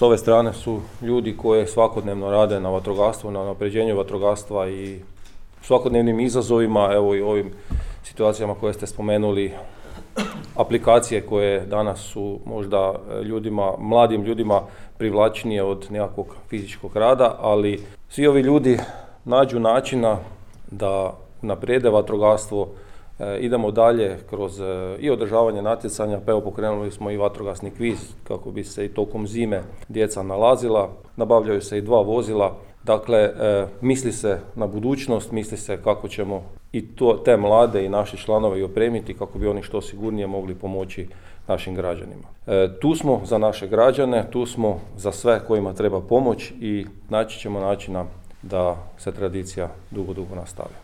S ove strane su ljudi koji svakodnevno rade na vatrogastvu, na unapređenju vatrogastva i svakodnevnim izazovima, evo i ovim situacijama koje ste spomenuli, aplikacije koje danas su možda mladim ljudima privlačnije od nekakvog fizičkog rada, ali svi ovi ljudi nađu načina da naprijede vatrogastvo. Idemo dalje kroz i održavanje natjecanja, pa evo pokrenuli smo i vatrogasni kviz kako bi se i tokom zime djeca nalazila, nabavljaju se i 2 vozila, dakle misli se na budućnost, misli se kako ćemo i te mlade i naše članove opremiti kako bi oni što sigurnije mogli pomoći našim građanima. Tu smo za naše građane, tu smo za sve kojima treba pomoć i naći ćemo načina da se tradicija dugo nastavi.